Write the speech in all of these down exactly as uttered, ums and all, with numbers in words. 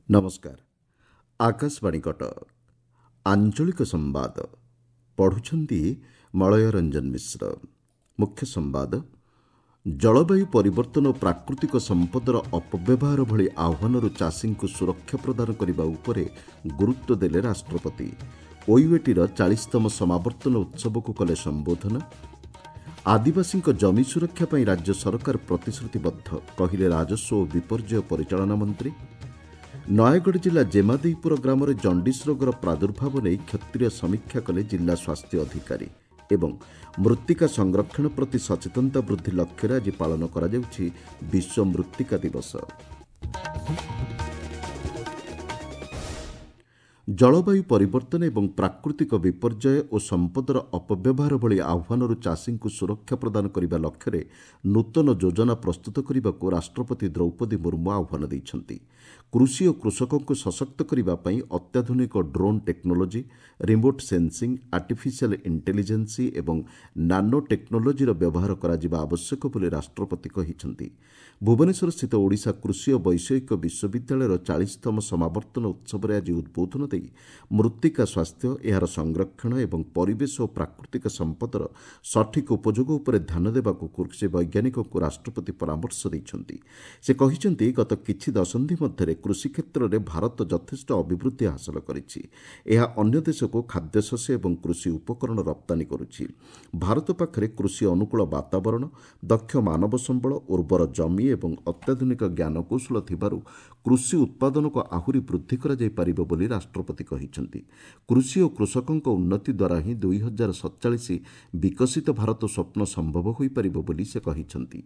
ନମସ୍କାର ଆକାଶବାଣୀ କଟକ ଆଞ୍ଚଳିକ ସମ୍ବାଦ ପଢୁଛନ୍ତି ମଳୟ ରଞ୍ଜନ ମିଶ୍ର ମୁଖ୍ୟ ସମ୍ବାଦ ଜଳବାୟୁ ପରିବର୍ତ୍ତନ ଓ ପ୍ରାକୃତିକ ସମ୍ପଦର ଅପବ୍ୟବହାର ଭଳି ଆହ୍ୱାନରୁ ଚାଷୀଙ୍କୁ ସୁରକ୍ଷା ପ୍ରଦାନ କରିବା ଉପରେ ଗୁରୁତ୍ୱ ଦେଲେ ରାଷ୍ଟ୍ରପତି ଓୟୁଏଟିର ଚାଳିଶତମ ସମାବର୍ତ୍ତନ ଉତ୍ସବକୁ କଲେ ସମ୍ବୋଧନ ଆଦିବାସୀଙ୍କ ଜମି ସୁରକ୍ଷା ପାଇଁ ରାଜ୍ୟ ସରକାର ପ୍ରତିଶ୍ରୁତିବଦ୍ଧ କହିଲେ ରାଜସ୍ୱ ଓ ବିପର୍ଯ୍ୟୟ ପରିଚାଳନା ମନ୍ତ୍ରୀ ନୟାଗଡ଼ ଜିଲ୍ଲା ଜେମାଦେଇପୁର ଗ୍ରାମରେ ଜଣ୍ଡିସ୍ ରୋଗର ପ୍ରାଦୁର୍ଭାବ ନେଇ କ୍ଷେତ୍ରୀୟ ସମୀକ୍ଷା କଲେ ଜିଲ୍ଲା ସ୍ୱାସ୍ଥ୍ୟ ଅଧିକାରୀ ଏବଂ ମୃତ୍ତିକା ସଂରକ୍ଷଣ ପ୍ରତି ସଚେତନତା ବୃଦ୍ଧି ଲକ୍ଷ୍ୟରେ ଆଜି ପାଳନ କରାଯାଉଛି ବିଶ୍ୱ ମୃତ୍ତିକା ଦିବସ ଜଳବାୟୁ ପରିବର୍ତ୍ତନ ଏବଂ ପ୍ରାକୃତିକ ବିପର୍ଯ୍ୟୟ ଓ ସମ୍ପଦର ଅପବ୍ୟବହାର ଭଳି ଆହ୍ୱାନରୁ ଚାଷୀଙ୍କୁ ସୁରକ୍ଷା ପ୍ରଦାନ କରିବା ଲକ୍ଷ୍ୟରେ ନୂତନ ଯୋଜନା ପ୍ରସ୍ତୁତ କରିବାକୁ ରାଷ୍ଟ୍ରପତି ଦ୍ରୌପଦୀ ମୁର୍ମୁ ଆହ୍ୱାନ ଦେଇଛନ୍ତି କୃଷି ଓ କୃଷକଙ୍କୁ ସଶକ୍ତ କରିବା ପାଇଁ ଅତ୍ୟାଧୁନିକ drone technology remote sensing artificial intelligence ଏବଂ ନାନୋ ଟେକ୍ନୋଲୋଜିର ବ୍ୟବହାର କରାଯିବା ଆବଶ୍ୟକ ବୋଲି ରାଷ୍ଟ୍ରପତି କହିଛନ୍ତି ଭୁବନେଶ୍ୱରସ୍ଥିତ ଓଡ଼ିଶା କୃଷି ଓ ବୈଷୟିକ ବିଶ୍ୱବିଦ୍ୟାଳୟର ଚାଳିଶତମ ସମାବର୍ତ୍ତନ ଉତ୍ସବରେ ଆଜି ଉଦ୍ବୋଧନ ଦେଇ ମୃତ୍ତିକା ସ୍ୱାସ୍ଥ୍ୟ ଏହାର ସଂରକ୍ଷଣ ଏବଂ ପରିବେଶ ଓ ପ୍ରାକୃତିକ ସମ୍ପଦର ସଠିକ୍ ଉପଯୋଗ ଉପରେ ଧ୍ୟାନ ଦେବାକୁ କୃଷି ବୈଜ୍ଞାନିକଙ୍କୁ ରାଷ୍ଟ୍ରପତି ପରାମର୍ଶ ଦେଇଛନ୍ତି ସେ କହିଛନ୍ତି ଗତ କିଛି ଦଶନ୍ଧି ମଧ୍ୟରେ କୃଷି କ୍ଷେତ୍ରରେ ଭାରତ ଯଥେଷ୍ଟ ଅଭିବୃଦ୍ଧି ହାସଲ କରିଛି ଏହା ଅନ୍ୟ ଦେଶକୁ ଖାଦ୍ୟଶସ୍ୟ ଏବଂ କୃଷି ଉପକରଣ ରପ୍ତାନୀ କରୁଛି ଭାରତ ପାଖରେ କୃଷି ଅନୁକୂଳ ବାତାବରଣ ଦକ୍ଷ ମାନବ ସମ୍ବଳ ଉର୍ବର ଜମି ଏବଂ ଅତ୍ୟାଧୁନିକ ଜ୍ଞାନକୌଶଳ ଥିବାରୁ କୃଷି ଉତ୍ପାଦନକୁ ଆହୁରି ବୃଦ୍ଧି କରାଯାଇପାରିବ ବୋଲି ରାଷ୍ଟ୍ରପତି କହିଛନ୍ତି କୃଷି ଓ କୃଷକଙ୍କ ଉନ୍ନତି ଦ୍ୱାରା ହିଁ ଦୁଇ ହଜାର ସତଚାଳିଶ ବିକଶିତ ଭାରତ ସ୍ୱପ୍ନ ସମ୍ଭବ ହୋଇପାରିବ ବୋଲି ସେ କହିଛନ୍ତି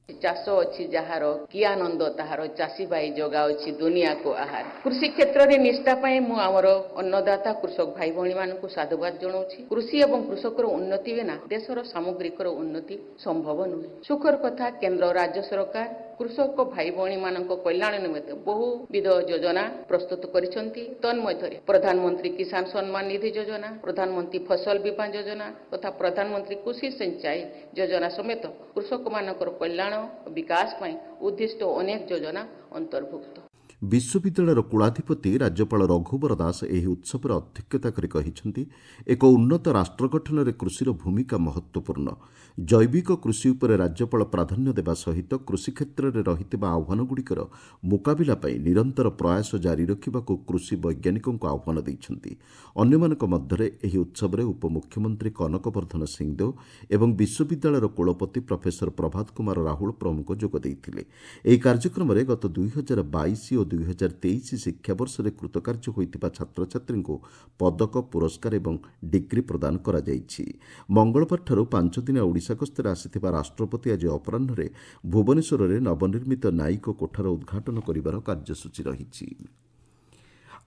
ଚାଷ ଅଛି ଯାହାର କି ଆନନ୍ଦ ତାହାର ଚାଷୀ ଭାଇ ଯୋଗାଉଛି ଦୁନିଆକୁ ଆହାର କୃଷି କ୍ଷେତ୍ରରେ ନିଷ୍ଠା ପାଇଁ ମୁଁ ଆମର ଅନ୍ନଦାତା କୃଷକ ଭାଇ ଭଉଣୀମାନଙ୍କୁ ସାଧୁବାଦ ଜଣାଉଛି କୃଷି ଏବଂ କୃଷକର ଉନ୍ନତି ବିନା ଦେଶର ସାମଗ୍ରିକର ଉନ୍ନତି ସମ୍ଭବ ନୁହେଁ ସୁଖର କଥା କେନ୍ଦ୍ର ରାଜ୍ୟ ସରକାର କୃଷକ ଭାଇ ଭଉଣୀମାନଙ୍କ କଲ୍ୟାଣ ନିମନ୍ତେ ବହୁବିଧ ଯୋଜନା ପ୍ରସ୍ତୁତ କରିଛନ୍ତି ତନ୍ମଧ୍ୟରେ ପ୍ରଧାନମନ୍ତ୍ରୀ କିଷାନ ସମ୍ମାନ ନିଧି ଯୋଜନା ପ୍ରଧାନମନ୍ତ୍ରୀ ଫସଲ ବୀମା ଯୋଜନା ତଥା ପ୍ରଧାନମନ୍ତ୍ରୀ କୃଷି ସିଞ୍ଚାଇ ଯୋଜନା ସମେତ କୃଷକମାନଙ୍କର କଲ୍ୟାଣ ଓ ବିକାଶ ପାଇଁ ଉଦ୍ଦିଷ୍ଟ ଅନେକ ଯୋଜନା ଅନ୍ତର୍ଭୁକ୍ତ ବିଶ୍ୱବିଦ୍ୟାଳୟର କୁଳାଧିପତି ରାଜ୍ୟପାଳ ରଘୁବର ଦାସ ଏହି ଉତ୍ସବରେ ଅଧ୍ୟକ୍ଷତା କରି କହିଛନ୍ତି ଏକ ଉନ୍ନତ ରାଷ୍ଟ୍ର ଗଠନରେ କୃଷିର ଭୂମିକା ମହତ୍ତ୍ୱପୂର୍ଣ୍ଣ ଜୈବିକ କୃଷି ଉପରେ ରାଜ୍ୟପାଳ ପ୍ରାଧାନ୍ୟ ଦେବା ସହିତ କୃଷି କ୍ଷେତ୍ରରେ ରହିଥିବା ଆହ୍ୱାନଗୁଡ଼ିକର ମୁକାବିଲା ପାଇଁ ନିରନ୍ତର ପ୍ରୟାସ ଜାରି ରଖିବାକୁ କୃଷି ବୈଜ୍ଞାନିକଙ୍କୁ ଆହ୍ୱାନ ଦେଇଛନ୍ତି ଅନ୍ୟମାନଙ୍କ ମଧ୍ୟରେ ଏହି ଉତ୍ସବରେ ଉପମୁଖ୍ୟମନ୍ତ୍ରୀ କନକ ବର୍ଦ୍ଧନ ସିଂଦେଓ ଏବଂ ବିଶ୍ୱବିଦ୍ୟାଳୟର କୁଳପତି ପ୍ରଫେସର ପ୍ରଭାତ କୁମାର ରାହୁଳ ପ୍ରମୁଖ ଯୋଗ ଦେଇଥିଲେ ଏହି କାର୍ଯ୍ୟକ୍ରମରେ ଗତ ଦୁଇ ହଜାର ବାଇଶ ଓ ଦୁଇ ହଜାର ତେଇଶ ଶିକ୍ଷାବର୍ଷରେ କୃତକାର୍ଯ୍ୟ ହୋଇଥିବା ଛାତ୍ରଛାତ୍ରୀଙ୍କୁ ପଦକ ପୁରସ୍କାର ଏବଂ ଡିଗ୍ରୀ ପ୍ରଦାନ କରାଯାଇଛି ମଙ୍ଗଳବାରଠାରୁ ପାଞ୍ଚଦିନିଆ ଓଡ଼ିଶା ଗସ୍ତରେ ଆସିଥିବା ରାଷ୍ଟ୍ରପତି ଆଜି ଅପରାହ୍ନରେ ଭୁବନେଶ୍ୱରରେ ନବନିର୍ମିତ ନାଇକୋ କୋଠାର ଉଦ୍ଘାଟନ କରିବାର କାର୍ଯ୍ୟସୂଚୀ ରହିଛି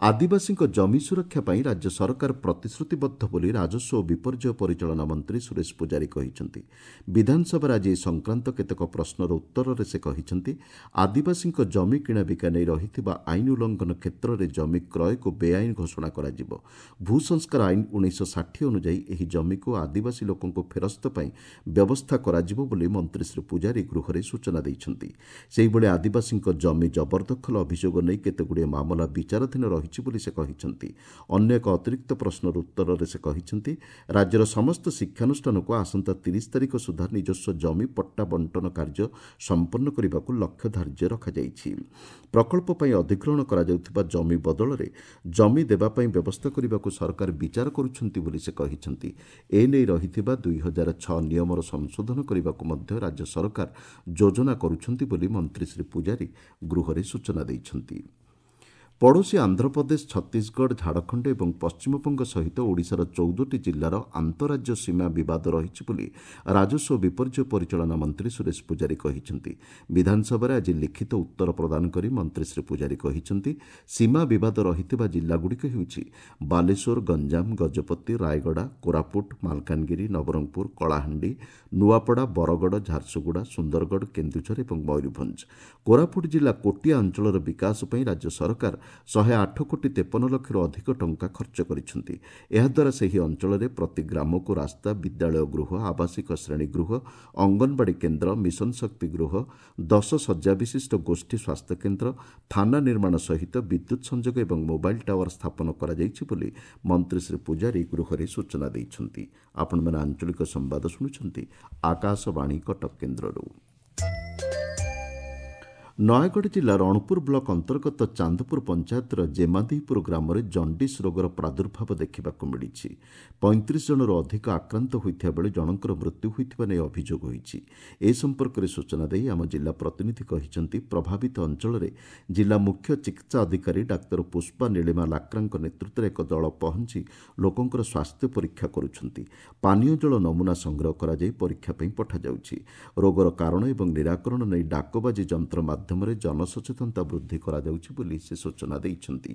ଆଦିବାସୀଙ୍କ ଜମି ସୁରକ୍ଷା ପାଇଁ ରାଜ୍ୟ ସରକାର ପ୍ରତିଶ୍ରୁତିବଦ୍ଧ ବୋଲି ରାଜସ୍ୱ ଓ ବିପର୍ଯ୍ୟୟ ପରିଚାଳନା ମନ୍ତ୍ରୀ ସୁରେଶ ପୂଜାରୀ କହିଛନ୍ତି ବିଧାନସଭାରେ ଆଜି ଏ ସଂକ୍ରାନ୍ତ କେତେକ ପ୍ରଶ୍ନର ଉତ୍ତରରେ ସେ କହିଛନ୍ତି ଆଦିବାସୀଙ୍କ ଜମି କିଣାବିକା ନେଇ ରହିଥିବା ଆଇନ ଉଲ୍ଲଂଘନ କ୍ଷେତ୍ରରେ ଜମି କ୍ରୟକୁ ବେଆଇନ ଘୋଷଣା କରାଯିବ ଭୂସଂସ୍କାର ଆଇନ ଉଣେଇଶହ ଷାଠିଏ ଅନୁଯାୟୀ ଏହି ଜମିକୁ ଆଦିବାସୀ ଲୋକଙ୍କୁ ଫେରସ୍ତ ପାଇଁ ବ୍ୟବସ୍ଥା କରାଯିବ ବୋଲି ମନ୍ତ୍ରୀ ଶ୍ରୀ ପୂଜାରୀ ଗୃହରେ ସୂଚନା ଦେଇଛନ୍ତି ସେହିଭଳି ଆଦିବାସୀଙ୍କ ଜମି ଜବରଦଖଲ ଅଭିଯୋଗ ନେଇ କେତେଗୁଡ଼ିଏ ମାମଲା ବିଚାରାଧୀନ ରହିଛି ବୋଲି ସେ କହିଛନ୍ତି ଅନ୍ୟ ଏକ ଅତିରିକ୍ତ ପ୍ରଶ୍ନର ଉତ୍ତରରେ ସେ କହିଛନ୍ତି ରାଜ୍ୟର ସମସ୍ତ ଶିକ୍ଷାନୁଷ୍ଠାନକୁ ଆସନ୍ତା ତିରିଶ ତାରିଖ ସୁଦ୍ଧା ନିଜସ୍ୱ ଜମି ପଟ୍ଟା ବଣ୍ଟନ କାର୍ଯ୍ୟ ସମ୍ପନ୍ନ କରିବାକୁ ଲକ୍ଷ୍ୟ ଧାର୍ଯ୍ୟ ରଖାଯାଇଛି ପ୍ରକଳ୍ପ ପାଇଁ ଅଧିଗ୍ରହଣ କରାଯାଉଥିବା ଜମି ବଦଳରେ ଜମି ଦେବା ପାଇଁ ବ୍ୟବସ୍ଥା କରିବାକୁ ସରକାର ବିଚାର କରୁଛନ୍ତି ବୋଲି ସେ କହିଛନ୍ତି ଏନେଇ ରହିଥିବା ଦୁଇ ହଜାର ଛଅ ନିୟମର ସଂଶୋଧନ କରିବାକୁ ମଧ୍ୟ ରାଜ୍ୟ ସରକାର ଯୋଜନା କରୁଛନ୍ତି ବୋଲି ମନ୍ତ୍ରୀ ଶ୍ରୀ ପୂଜାରୀ ଗୃହରେ ସୂଚନା ଦେଇଛନ୍ତି ପଡ଼ୋଶୀ ଆନ୍ଧ୍ରପ୍ରଦେଶ ଛତିଶଗଡ଼ ଝାଡ଼ଖଣ୍ଡ ଏବଂ ପଶ୍ଚିମବଙ୍ଗ ସହିତ ଓଡ଼ିଶାର ଚଉଦଟି ଜିଲ୍ଲାର ଆନ୍ତଃରାଜ୍ୟ ସୀମା ବିବାଦ ରହିଛି ବୋଲି ରାଜସ୍ୱ ଓ ବିପର୍ଯ୍ୟୟ ପରିଚାଳନା ମନ୍ତ୍ରୀ ସୁରେଶ ପୂଜାରୀ କହିଛନ୍ତି ବିଧାନସଭାରେ ଆଜି ଲିଖିତ ଉତ୍ତର ପ୍ରଦାନ କରି ମନ୍ତ୍ରୀ ଶ୍ରୀ ପୂଜାରୀ କହିଛନ୍ତି ସୀମା ବିବାଦ ରହିଥିବା ଜିଲ୍ଲାଗୁଡ଼ିକ ହେଉଛି ବାଲେଶ୍ୱର ଗଞ୍ଜାମ ଗଜପତି ରାୟଗଡ଼ା କୋରାପୁଟ ମାଲକାନଗିରି ନବରଙ୍ଗପୁର କଳାହାଣ୍ଡି ନୂଆପଡ଼ା ବରଗଡ଼ ଝାରସୁଗୁଡ଼ା ସୁନ୍ଦରଗଡ଼ କେନ୍ଦୁଝର ଏବଂ ମୟୂରଭଞ୍ଜ କୋରାପୁଟ ଜିଲ୍ଲା କୋଟିଆ ଅଞ୍ଚଳର ବିକାଶ ପାଇଁ ରାଜ୍ୟ ସରକାର ଶହେ ଆଠ କୋଟି ତେପନ ଲକ୍ଷରୁ ଅଧିକ ଟଙ୍କା ଖର୍ଚ୍ଚ କରିଛନ୍ତି। ଏହାଦ୍ୱାରା ସେହି ଅଞ୍ଚଳରେ ପ୍ରତି ଗ୍ରାମକୁ ରାସ୍ତା, ବିଦ୍ୟାଳୟ ଗୃହ, ଆବାସିକ ଶ୍ରେଣୀଗୃହ, ଅଙ୍ଗନବାଡ଼ି କେନ୍ଦ୍ର, ମିଶନ ଶକ୍ତି ଗୃହ, ଦଶ ଶଯ୍ୟା ବିଶିଷ୍ଟ ଗୋଷ୍ଠୀ ସ୍ୱାସ୍ଥ୍ୟକେନ୍ଦ୍ର, ଥାନା ନିର୍ମାଣ ସହିତ ବିଦ୍ୟୁତ୍ ସଂଯୋଗ ଏବଂ ମୋବାଇଲ୍ ଟାୱାର ସ୍ଥାପନ କରାଯାଇଛି ବୋଲି ମନ୍ତ୍ରୀ ଶ୍ରୀ ପୂଜାରୀ ଗୃହରେ ସୂଚନା ଦେଇଛନ୍ତି। ଆପଣମାନେ ଆଞ୍ଚଳିକ ସମ୍ବାଦ ଶୁଣୁଛନ୍ତି ଆକାଶବାଣୀ କଟକ କେନ୍ଦ୍ରରୁ। ନୟାଗଡ଼ ଜିଲ୍ଲା ରଣପୁର ବ୍ଲକ ଅନ୍ତର୍ଗତ ଚାନ୍ଦପୁର ପଞ୍ଚାୟତର ଜେମାଦେଇପୁର ଗ୍ରାମରେ ଜଣ୍ଡିସ୍ ରୋଗର ପ୍ରାଦୁର୍ଭାବ ଦେଖିବାକୁ ମିଳିଛି। ପଇଁତିରିଶ ଜଣରୁ ଅଧିକ ଆକ୍ରାନ୍ତ ହୋଇଥିବା ବେଳେ ଜଣଙ୍କର ମୃତ୍ୟୁ ହୋଇଥିବା ନେଇ ଅଭିଯୋଗ ହୋଇଛି। ଏ ସମ୍ପର୍କରେ ସୂଚନା ଦେଇ ଆମ ଜିଲ୍ଲା ପ୍ରତିନିଧି କହିଛନ୍ତି, ପ୍ରଭାବିତ ଅଞ୍ଚଳରେ ଜିଲ୍ଲା ମୁଖ୍ୟ ଚିକିତ୍ସା ଅଧିକାରୀ ଡାକ୍ତର ପୁଷ୍ପା ନୀଳିମା ଲାକ୍ରାଙ୍କ ନେତୃତ୍ୱରେ ଏକ ଦଳ ପହଞ୍ଚି ଲୋକଙ୍କର ସ୍ୱାସ୍ଥ୍ୟ ପରୀକ୍ଷା କରୁଛନ୍ତି। ପାନୀୟ ଜଳ ନମୁନା ସଂଗ୍ରହ କରାଯାଇ ପରୀକ୍ଷା ପାଇଁ ପଠାଯାଉଛି। ରୋଗର କାରଣ ଏବଂ ନିରାକରଣ ନେଇ ଡାକବାଜି ଯନ୍ତ୍ର ମାଧ୍ୟମରେ ଜନସଚେତନତା ବୃଦ୍ଧି କରାଯାଉଛି ବୋଲି ସେ ସୂଚନା ଦେଇଛନ୍ତି।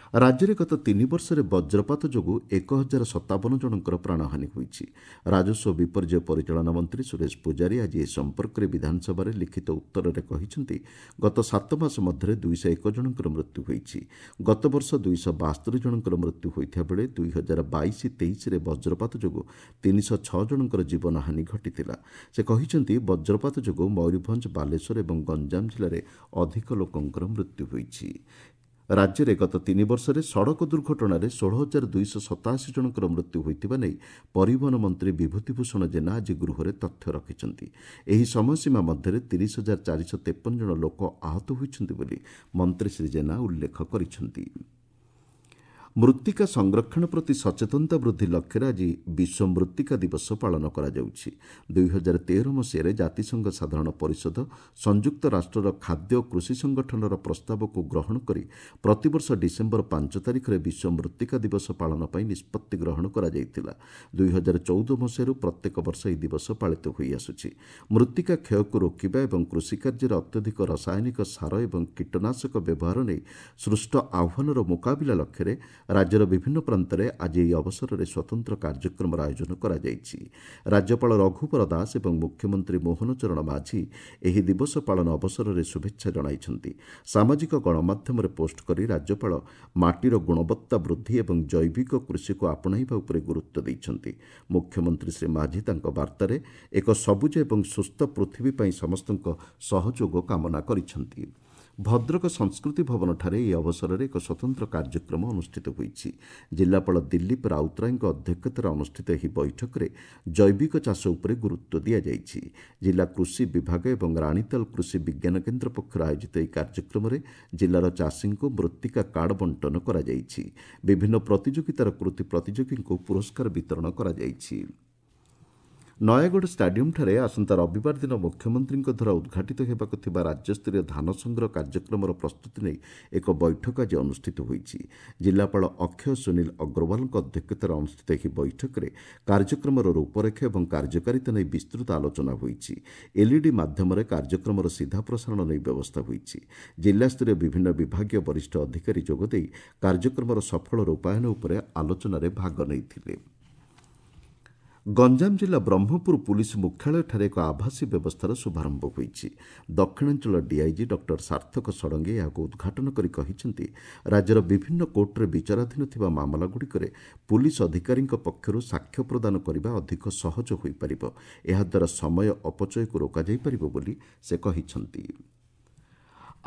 ରାଜ୍ୟରେ ଗତ ତିନି ବର୍ଷରେ ବଜ୍ରପାତ ଯୋଗୁଁ ଏକ ହଜାର ସତାବନ ଜଣଙ୍କର ପ୍ରାଣହାନି ହୋଇଛି। ରାଜସ୍ୱ ବିପର୍ଯ୍ୟୟ ପରିଚାଳନା ମନ୍ତ୍ରୀ ସୁରେଶ ପୂଜାରୀ ଆଜି ଏ ସମ୍ପର୍କରେ ବିଧାନସଭାରେ ଲିଖିତ ଉତ୍ତରରେ କହିଛନ୍ତି, ଗତ ସାତ ମାସ ମଧ୍ୟରେ ଦୁଇଶହ ଏକ ଜଣଙ୍କର ମୃତ୍ୟୁ ହୋଇଛି। ଗତବର୍ଷ ଦୁଇଶହ ବାସ୍ତରି ଜଣଙ୍କର ମୃତ୍ୟୁ ହୋଇଥିବା ବେଳେ ଦୁଇ ହଜାର ବାଇଶ ତେଇଶରେ ବଜ୍ରପାତ ଯୋଗୁଁ ତିନିଶହ ଛଅ ଜଣଙ୍କର ଜୀବନହାନି ଘଟିଥିଲା। ସେ କହିଛନ୍ତି, ବଜ୍ରପାତ ଯୋଗୁଁ ମୟୂରଭଞ୍ଜ, ବାଲେଶ୍ୱର ଏବଂ ଗଞ୍ଜାମ ଜିଲ୍ଲାରେ ଅଧିକ ଲୋକଙ୍କର ମୃତ୍ୟୁ ହୋଇଛି। ରାଜ୍ୟରେ ଗତ ତିନି ବର୍ଷରେ ସଡ଼କ ଦୁର୍ଘଟଣାରେ ଷୋହଳ ହଜାର ଦୁଇଶହ ସତାଅଶୀ ଜଣଙ୍କର ମୃତ୍ୟୁ ହୋଇଥିବା ନେଇ ପରିବହନ ମନ୍ତ୍ରୀ ବିଭୂତିଭୂଷଣ ଜେନା ଆଜି ଗୃହରେ ତଥ୍ୟ ରଖିଛନ୍ତି। ଏହି ସମୟସୀମା ମଧ୍ୟରେ ତିରିଶ ହଜାର ଚାରିଶହ ତେପନ ଜଣ ଲୋକ ଆହତ ହୋଇଛନ୍ତି ବୋଲି ମନ୍ତ୍ରୀ ଶ୍ରୀ ଜେନା ଉଲ୍ଲେଖ କରିଛନ୍ତି। ମୃତ୍ତିକା ସଂରକ୍ଷଣ ପ୍ରତି ସଚେତନତା ବୃଦ୍ଧି ଲକ୍ଷ୍ୟରେ ଆଜି ବିଶ୍ୱ ମୃତ୍ତିକା ଦିବସ ପାଳନ କରାଯାଉଛି। ଦୁଇ ହଜାର ତେର ମସିହାରେ ଜାତିସଂଘ ସାଧାରଣ ପରିଷଦ ସଂଯୁକ୍ତ ରାଷ୍ଟ୍ରର ଖାଦ୍ୟ ଓ କୃଷି ସଂଗଠନର ପ୍ରସ୍ତାବକୁ ଗ୍ରହଣ କରି ପ୍ରତିବର୍ଷ ଡିସେମ୍ବର ପାଞ୍ଚ ତାରିଖରେ ବିଶ୍ୱ ମୃତ୍ତିକା ଦିବସ ପାଳନ ପାଇଁ ନିଷ୍ପତ୍ତି ଗ୍ରହଣ କରାଯାଇଥିଲା। ଦୁଇ ହଜାର ଚଉଦ ମସିହାରୁ ପ୍ରତ୍ୟେକ ବର୍ଷ ଏହି ଦିବସ ପାଳିତ ହୋଇଆସୁଛି। ମୃତ୍ତିକା କ୍ଷୟକୁ ରୋକିବା ଏବଂ କୃଷିକାର୍ଯ୍ୟରେ ଅତ୍ୟଧିକ ରାସାୟନିକ ସାର ଏବଂ କୀଟନାଶକ ବ୍ୟବହାର ନେଇ ସୃଷ୍ଟ ଆହ୍ୱାନର ମୁକାବିଲା ଲକ୍ଷ୍ୟରେ ରାଜ୍ୟର ବିଭିନ୍ନ ପ୍ରାନ୍ତରେ ଆଜି ଏହି ଅବସରରେ ସ୍ୱତନ୍ତ୍ର କାର୍ଯ୍ୟକ୍ରମର ଆୟୋଜନ କରାଯାଇଛି। ରାଜ୍ୟପାଳ ରଘୁବର ଦାସ ଏବଂ ମୁଖ୍ୟମନ୍ତ୍ରୀ ମୋହନ ଚରଣ ମାଝୀ ଏହି ଦିବସ ପାଳନ ଅବସରରେ ଶୁଭେଚ୍ଛା ଜଣାଇଛନ୍ତି। ସାମାଜିକ ଗଣମାଧ୍ୟମରେ ପୋଷ୍ଟ କରି ରାଜ୍ୟପାଳ ମାଟିର ଗୁଣବତ୍ତା ବୃଦ୍ଧି ଏବଂ ଜୈବିକ କୃଷିକୁ ଆପଣାଇବା ଉପରେ ଗୁରୁତ୍ୱ ଦେଇଛନ୍ତି। ମୁଖ୍ୟମନ୍ତ୍ରୀ ଶ୍ରୀ ମାଝୀ ତାଙ୍କ ବାର୍ତ୍ତାରେ ଏକ ସବୁଜ ଏବଂ ସୁସ୍ଥ ପୃଥିବୀ ପାଇଁ ସମସ୍ତଙ୍କ ସହଯୋଗ କାମନା କରିଛନ୍ତି। ଭଦ୍ରକ ସଂସ୍କୃତି ଭବନଠାରେ ଏହି ଅବସରରେ ଏକ ସ୍ୱତନ୍ତ୍ର କାର୍ଯ୍ୟକ୍ରମ ଅନୁଷ୍ଠିତ ହୋଇଛି। ଜିଲ୍ଲାପାଳ ଦିଲ୍ଲୀପ ରାଉତରାୟଙ୍କ ଅଧ୍ୟକ୍ଷତାରେ ଅନୁଷ୍ଠିତ ଏହି ବୈଠକରେ ଜୈବିକ ଚାଷ ଉପରେ ଗୁରୁତ୍ୱ ଦିଆଯାଇଛି। ଜିଲ୍ଲା କୃଷି ବିଭାଗ ଏବଂ ରାଣୀତାଲ କୃଷି ବିଜ୍ଞାନ କେନ୍ଦ୍ର ପକ୍ଷରୁ ଆୟୋଜିତ ଏହି କାର୍ଯ୍ୟକ୍ରମରେ ଜିଲ୍ଲାର ଚାଷୀଙ୍କୁ ମୃତ୍ତିକା କାର୍ଡ ବଣ୍ଟନ କରାଯାଇଛି। ବିଭିନ୍ନ ପ୍ରତିଯୋଗିତାର କୃତି ପ୍ରତିଯୋଗୀଙ୍କୁ ପୁରସ୍କାର ବିତରଣ କରାଯାଇଛି। ନୟାଗଡ଼ ଷ୍ଟାଡିୟମ୍ଠାରେ ଆସନ୍ତା ରବିବାର ଦିନ ମୁଖ୍ୟମନ୍ତ୍ରୀଙ୍କ ଦ୍ୱାରା ଉଦ୍ଘାଟିତ ହେବାକୁ ଥିବା ରାଜ୍ୟସ୍ତରୀୟ ଧାନ ସଂଗ୍ରହ କାର୍ଯ୍ୟକ୍ରମର ପ୍ରସ୍ତୁତି ନେଇ ଏକ ବୈଠକ ଆଜି ଅନୁଷ୍ଠିତ ହୋଇଛି। ଜିଲ୍ଲାପାଳ ଅକ୍ଷୟ ସୁନୀଲ ଅଗ୍ରୱାଲଙ୍କ ଅଧ୍ୟକ୍ଷତାରେ ଅନୁଷ୍ଠିତ ଏହି ବୈଠକରେ କାର୍ଯ୍ୟକ୍ରମର ରୂପରେଖ ଏବଂ କାର୍ଯ୍ୟକାରିତା ନେଇ ବିସ୍ତୃତ ଆଲୋଚନା ହୋଇଛି। ଏଲ୍ଇଡି ମାଧ୍ୟମରେ କାର୍ଯ୍ୟକ୍ରମର ସିଧା ପ୍ରସାରଣ ନେଇ ବ୍ୟବସ୍ଥା ହୋଇଛି। ଜିଲ୍ଲାସ୍ତରୀୟ ବିଭିନ୍ନ ବିଭାଗୀୟ ବରିଷ୍ଠ ଅଧିକାରୀ ଯୋଗଦେଇ କାର୍ଯ୍ୟକ୍ରମର ସଫଳ ରୂପାୟନ ଉପରେ ଆଲୋଚନାରେ ଭାଗ ନେଇଥିଲେ। ଗଞ୍ଜାମ ଜିଲ୍ଲା ବ୍ରହ୍ମପୁର ପୁଲିସ ମୁଖ୍ୟାଳୟଠାରେ ଏକ ଆଭାସୀ ବ୍ୟବସ୍ଥାର ଶୁଭାରମ୍ଭ ହୋଇଛି। ଦକ୍ଷିଣାଞ୍ଚଳ ଡିଆଇଜି ଡକ୍ଟର ସାର୍ଥକ ଷଡ଼ଙ୍ଗୀ ଏହାକୁ ଉଦ୍ଘାଟନ କରି କହିଛନ୍ତି, ରାଜ୍ୟର ବିଭିନ୍ନ କୋର୍ଟରେ ବିଚାରାଧୀନ ଥିବା ମାମଲାଗୁଡ଼ିକରେ ପୁଲିସ ଅଧିକାରୀଙ୍କ ପକ୍ଷରୁ ସାକ୍ଷ୍ୟ ପ୍ରଦାନ କରିବା ଅଧିକ ସହଜ ହୋଇପାରିବ। ଏହାଦ୍ୱାରା ସମୟ ଅପଚୟକୁ ରୋକାଯାଇପାରିବ ବୋଲି ସେ କହିଛନ୍ତି।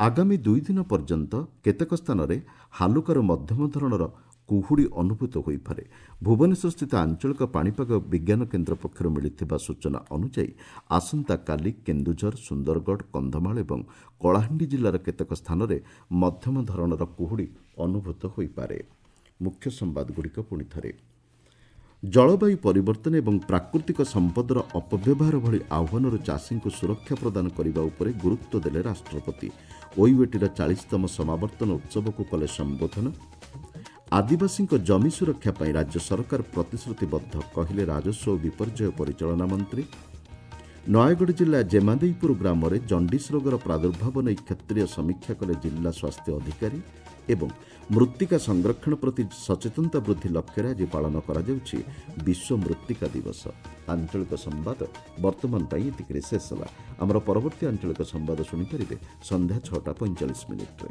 ଆଗାମୀ ଦୁଇ ଦିନ ପର୍ଯ୍ୟନ୍ତ କେତେକ ସ୍ଥାନରେ ହାଲୁକାରୁ ମଧ୍ୟମ ଧରଣର କୁହୁଡ଼ି ଅନୁଭୂତ ହୋଇପାରେ। ଭୁବନେଶ୍ୱରସ୍ଥିତ ଆଞ୍ଚଳିକ ପାଣିପାଗ ବିଜ୍ଞାନ କେନ୍ଦ୍ର ପକ୍ଷରୁ ମିଳିଥିବା ସୂଚନା ଅନୁଯାୟୀ ଆସନ୍ତାକାଲି କେନ୍ଦୁଝର, ସୁନ୍ଦରଗଡ଼, କନ୍ଧମାଳ ଏବଂ କଳାହାଣ୍ଡି ଜିଲ୍ଲାର କେତେକ ସ୍ଥାନରେ ମଧ୍ୟମ ଧରଣର କୁହୁଡ଼ି ଅନୁଭୂତ ହୋଇପାରେ। ମୁଖ୍ୟ ସମ୍ବାଦଗୁଡ଼ିକ ପୁଣି ଥରେ। ଜଳବାୟୁ ପରିବର୍ତ୍ତନ ଏବଂ ପ୍ରାକୃତିକ ସମ୍ପଦର ଅପବ୍ୟବହାର ଭଳି ଆହ୍ୱାନରୁ ଚାଷୀଙ୍କୁ ସୁରକ୍ଷା ପ୍ରଦାନ କରିବା ଉପରେ ଗୁରୁତ୍ୱ ଦେଲେ ରାଷ୍ଟ୍ରପତି। ଓୟୁଏଟିର ଚାଳିଶତମ ସମାବର୍ତ୍ତନ ଉତ୍ସବକୁ କଲେ ସମ୍ବୋଧନ। ଆଦିବାସୀଙ୍କ ଜମି ସୁରକ୍ଷା ପାଇଁ ରାଜ୍ୟ ସରକାର ପ୍ରତିଶ୍ରୁତିବଦ୍ଧ କହିଲେ ରାଜସ୍ୱ ଓ ବିପର୍ଯ୍ୟୟ ପରିଚାଳନା ମନ୍ତ୍ରୀ। ନୟାଗଡ଼ ଜିଲ୍ଲା ଜେମାଦେଇପୁର ଗ୍ରାମରେ ଜଣ୍ଡିସ୍ ରୋଗର ପ୍ରାଦୁର୍ଭାବ ନେଇ କ୍ଷେତ୍ରୀୟ ସମୀକ୍ଷା କଲେ ଜିଲ୍ଲା ସ୍ୱାସ୍ଥ୍ୟ ଅଧିକାରୀ। ଏବଂ ମୃତ୍ତିକା ସଂରକ୍ଷଣ ପ୍ରତି ସଚେତନତା ବୃଦ୍ଧି ଲକ୍ଷ୍ୟରେ ଆଜି ପାଳନ କରାଯାଉଛି ବିଶ୍ୱ ମୃତ୍ତିକା ଦିବସ। ଆଞ୍ଚଳିକ ସମ୍ବାଦ ବର୍ତ୍ତମାନ ପାଇଁ ଏତିକିରେ ଶେଷ ହେଲା। ଆମର ପରବର୍ତ୍ତୀ ଆଞ୍ଚଳିକ ସମ୍ବାଦ ଶୁଣିପାରିବେ ସନ୍ଧ୍ୟା ଛଅଟା ପଇଁଚାଳିଶ ମିନିଟ୍ରେ।